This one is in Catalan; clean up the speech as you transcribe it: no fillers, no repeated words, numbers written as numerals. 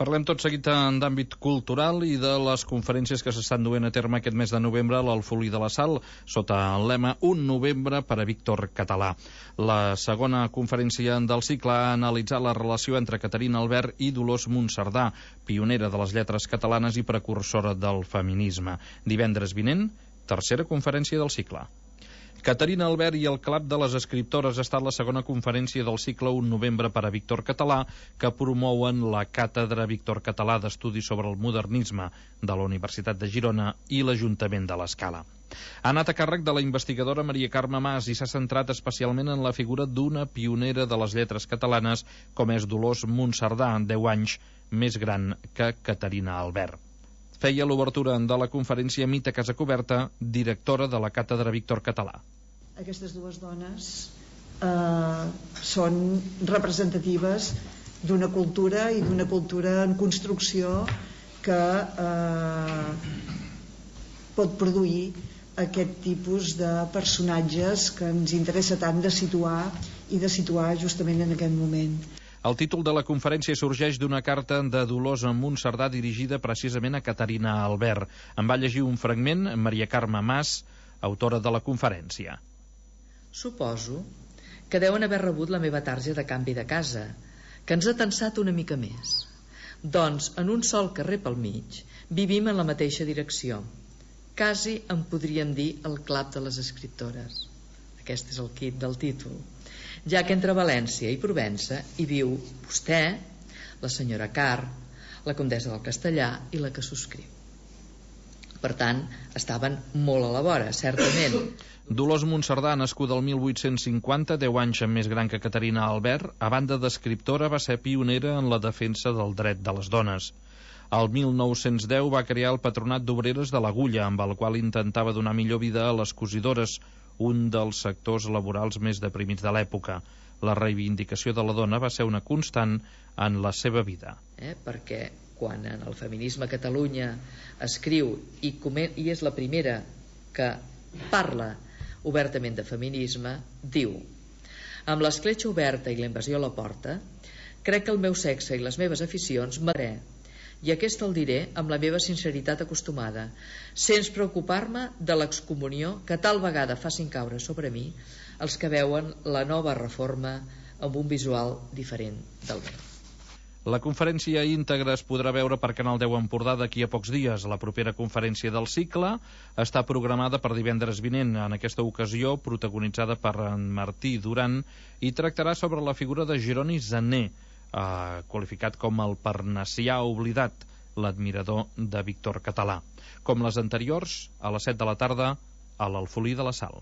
Parlem tot seguit d'àmbit cultural i de les conferències que s'estan duent a terme aquest mes de novembre a l'Alfolí de la Sal, sota el lema Un novembre per a Víctor Català. La segona conferència del cicle ha analitzat la relació entre Caterina Albert i Dolors Monserdà, pionera de les lletres catalanes i precursora del feminisme. Divendres vinent, tercera conferència del cicle. Caterina Albert i el Club de les Escriptores ha estat la segona conferència del cicle Un novembre per a Víctor Català, que promouen la Càtedra Víctor Català d'Estudis sobre el Modernisme de la Universitat de Girona i l'Ajuntament de l'Escala. Ha anat a càrrec de la investigadora Maria Carme Mas i s'ha centrat especialment en la figura d'una pionera de les lletres catalanes com és Dolors Monserdà, 10 anys més gran que Caterina Albert. Feia l'obertura de la conferència Mita Casacoberta, directora de la Càtedra Víctor Català. Aquestes dues dones són representatives d'una cultura i d'una cultura en construcció que pot produir aquest tipus de personatges que ens interessa tant de situar justament en aquest moment. El títol de la conferència sorgeix d'una carta de Dolors Monserdà dirigida precisament a Caterina Albert. En va llegir un fragment Maria Carme Mas, autora de la conferència. Suposo que deuen haver rebut la meva tarja de canvi de casa, que ens ha tensat una mica més. Doncs en un sol carrer pel mig vivim en la mateixa direcció. Quasi en podríem dir el Club de les Escriptores. Aquest és el quid del títol. Ja que entre València i Provença hi viu vostè, la senyora Carr, la comtessa del Castellà i la que subscriu. Per tant, estaven molt a la vora, certament. Dolors Monserdà, nascuda el 1850, 10 anys més gran que Caterina Albert, a banda d'escriptora va ser pionera en la defensa del dret de les dones. El 1910 va crear el Patronat d'Obreres de l'Agulla, amb el qual intentava donar millor vida a les cosidores, un dels sectors laborals més deprimits de l'època. La reivindicació de la dona va ser una constant en la seva vida. Perquè quan en el feminisme a Catalunya escriu i és la primera que parla obertament de feminisme, diu: amb l'escletxa oberta i la invasió a la porta, crec que el meu sexe i les meves aficions m'adré, i aquest el diré amb la meva sinceritat acostumada, sense preocupar-me de l'excomunió que tal vegada facin caure sobre mi els que veuen la nova reforma amb un visual diferent del meu. La conferència íntegra es podrà veure per Canal 10 Empordà d'aquí a pocs dies. La propera conferència del cicle està programada per divendres vinent, en aquesta ocasió protagonitzada per en Martí Duran, i tractarà sobre la figura de Jeroni Zané, qualificat com el parnassià oblidat, l'admirador de Víctor Català. Com les anteriors, a les 7 de la tarda, a l'Alfolí de la Sal.